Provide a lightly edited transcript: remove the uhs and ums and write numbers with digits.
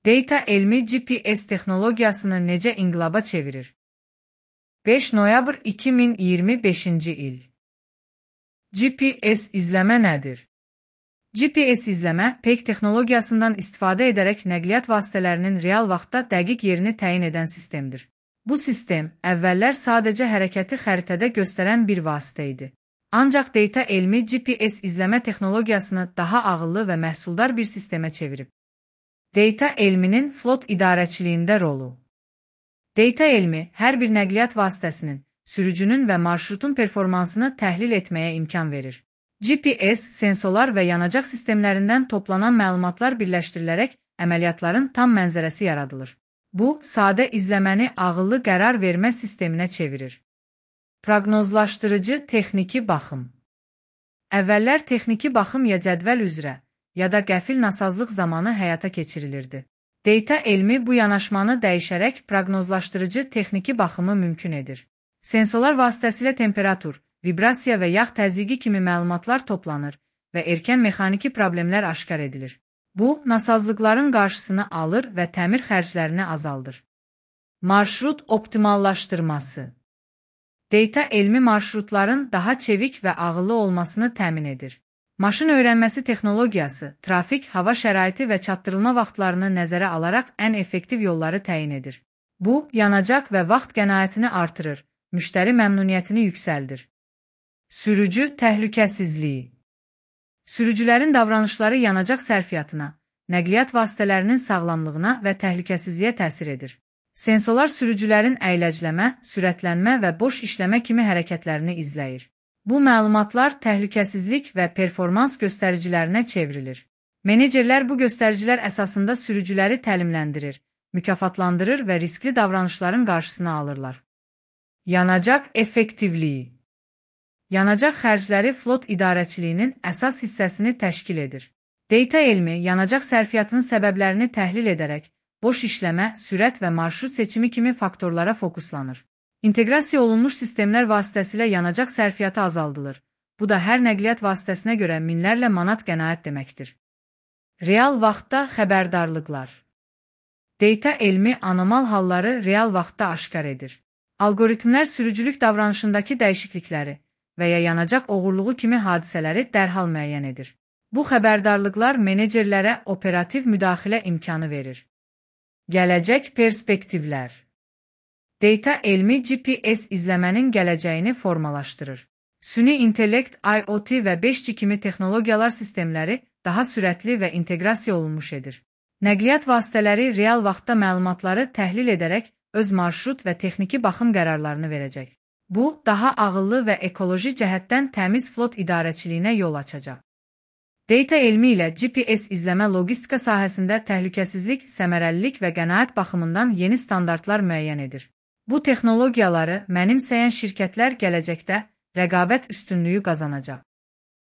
Data elmi GPS texnologiyasını necə inqilaba çevirir? 5 noyabr 2025 il. GPS izləmə nədir? GPS izləmə, PEG texnologiyasından istifadə edərək nəqliyyat vasitələrinin real vaxtda dəqiq yerini təyin edən sistemdir. Bu sistem, əvvəllər sadəcə hərəkəti xəritədə göstərən bir vasitə idi. Ancaq data elmi GPS izləmə texnologiyasını daha ağıllı və məhsuldar bir sistemə çevirib. Data elminin flot idarəçiliyində rolu. Data elmi hər bir nəqliyyat vasitəsinin, sürücünün və marşrutun performansını təhlil etməyə imkan verir. GPS, sensorlar və yanacaq sistemlərindən toplanan məlumatlar birləşdirilərək əməliyyatların tam mənzərəsi yaradılır. Bu, sadə izləməni ağıllı qərar vermə sisteminə çevirir. Proqnozlaşdırıcı texniki baxım. Əvvəllər texniki baxım ya cədvəl üzrə, ya da qəfil nasazlıq zamanı həyata keçirilirdi. Data elmi bu yanaşmanı dəyişərək proqnozlaşdırıcı texniki baxımı mümkün edir. Sensorlar vasitəsilə temperatur, vibrasiya və yağ təzyiqi kimi məlumatlar toplanır və erkən mexaniki problemlər aşkar edilir. Bu, nasazlıqların qarşısını alır və təmir xərclərini azaldır. Marşrut optimallaşdırması. Data elmi marşrutların daha çevik və ağıllı olmasını təmin edir. Maşın öyrənməsi texnologiyası, trafik, hava şəraiti və çatdırılma vaxtlarını nəzərə alaraq ən effektiv yolları təyin edir. Bu, yanacaq və vaxt qənaətini artırır, müştəri məmnuniyyətini yüksəldir. Sürücü təhlükəsizliyi. Sürücülərin davranışları yanacaq sərfiyyatına, nəqliyyat vasitələrinin sağlamlığına və təhlükəsizliyə təsir edir. Sensorlar sürücülərin əyləcləmə, sürətlənmə və boş işləmə kimi hərəkətlərini izləyir. Bu məlumatlar təhlükəsizlik və performans göstəricilərinə çevrilir. Menecerlər bu göstəricilər əsasında sürücüləri təlimləndirir, mükafatlandırır və riskli davranışların qarşısını alırlar. Yanacaq effektivliyi. Yanacaq xərcləri flot idarəçiliyinin əsas hissəsini təşkil edir. Data elmi yanacaq sərfiyyatının səbəblərini təhlil edərək, boş işləmə, sürət və marşrut seçimi kimi faktorlara fokuslanır. İnteqrasiya olunmuş sistemlər vasitəsilə yanacaq sərfiyyatı azaldılır. Bu da hər nəqliyyat vasitəsinə görə minlərlə manat qənaət deməkdir. Real vaxtda xəbərdarlıqlar. Data elmi anormal halları real vaxtda aşkar edir. Algoritmlər sürücülük davranışındakı dəyişiklikləri və ya yanacaq oğurluğu kimi hadisələri dərhal müəyyən edir. Bu xəbərdarlıqlar menecerlərə operativ müdaxilə imkanı verir. Gələcək perspektivlər. Data elmi GPS izləmənin gələcəyini formalaşdırır. Süni intellekt, IoT və 5G kimi texnologiyalar sistemləri daha sürətli və inteqrasiya olunmuş edir. Nəqliyyat vasitələri real vaxtda məlumatları təhlil edərək öz marşrut və texniki baxım qərarlarını verəcək. Bu, daha ağıllı və ekoloji cəhətdən təmiz flot idarəçiliyinə yol açacaq. Data elmi ilə GPS izləmə logistika sahəsində təhlükəsizlik, səmərəlilik və qənaət baxımından yeni standartlar müəyyən edir. Bu texnologiyaları mənimsəyən şirkətlər gələcəkdə rəqabət üstünlüyü qazanacaq.